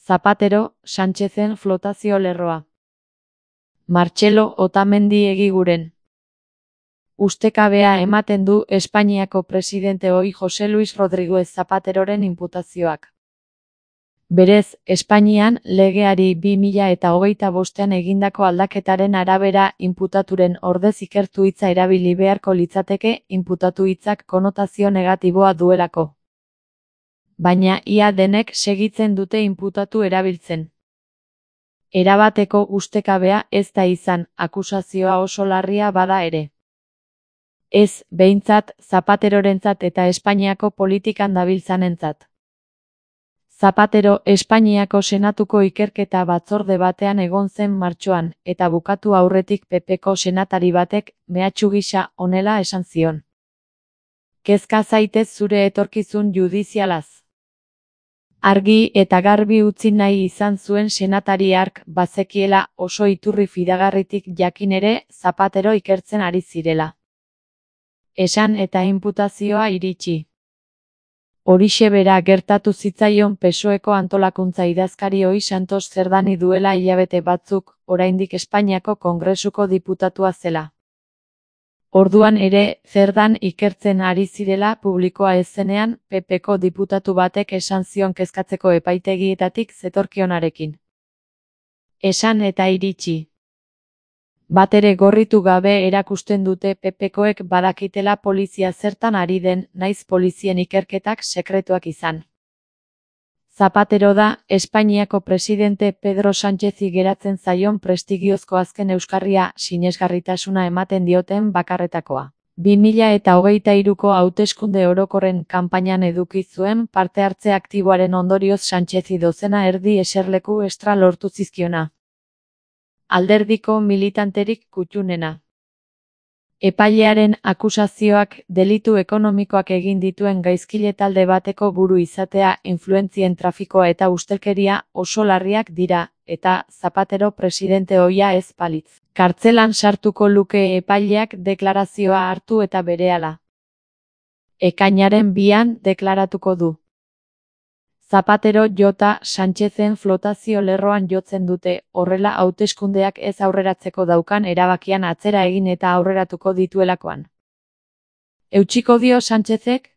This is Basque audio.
Zapatero, Sánchezen flotazio lerroa. Martxelo Otamendi egiguren. Ustekabea ematen du Espainiako presidente ohi José Luis Rodríguez Zapateroren inputazioak. Berez, Espainian legeari 2025an egindako aldaketaren arabera inputaturen ordez ikertu hitza erabili beharko litzateke inputatu hitzak konotazio negatiboa duelako. Baina ia denek segitzen dute inputatu erabiltzen. Erabateko ustekabea ez da izan, akusazioa oso larria bada ere. Ez, behintzat, Zapaterorentzat eta Espainiako politikan dabiltzanentzat. Zapatero Espainiako Senatuko ikerketa batzorde batean egon zen martxoan, eta bukatu aurretik PPko senatari batek, mehatxu gisa, honela esan zion. Kezka zaitez zure etorkizun judizialaz. Argi eta garbi utzi nahi izan zuen senatari hark bazekiela oso iturri fidagarritik jakin ere Zapatero ikertzen ari zirela. Esan eta inputazioa iritsi. Horixe bera gertatu zitzaion PSOEko antolakuntza idazkari ohi Santos Cerdani duela hilabete batzuk, oraindik Espainiako Kongresuko diputatua zela. Orduan ere, Cerdan ikertzen ari zirela publikoa ez zenean, PPko diputatu batek esan zion kezkatzeko epaitegietatik zetorkionarekin. Esan eta iritsi. Batere gorritu gabe erakusten dute PPkoek badakitela polizia zertan ari den, naiz polizien ikerketak sekretuak izan. Zapatero da, Espainiako presidente Pedro Sánchezi geratzen zaion prestigiozko azken euskarria sinesgarritasuna ematen dioten bakarretakoa. 2023ko hauteskunde orokorren kanpainan eduki zuen parte hartze aktiboaren ondorioz Sánchezi dozena erdi eserleku extra lortu zizkiona. Alderdiko militanterik kuttunena. Epailearen akusazioak delitu ekonomikoak egin dituen gaizkile talde bateko buru izatea, influentzien trafikoa eta ustelkeria oso larriak dira, eta Zapatero presidente ohia ez balitz. Kartzelan sartuko luke epaileak deklarazioa hartu eta berehala. Ekainaren 2an deklaratuko du. Zapatero jota Sánchezen flotazio lerroan jotzen dute, horrela hauteskundeak ez aurreratzeko daukan erabakian atzera egin eta aurreratuko dituelakoan. Eutsiko dio Sánchezek?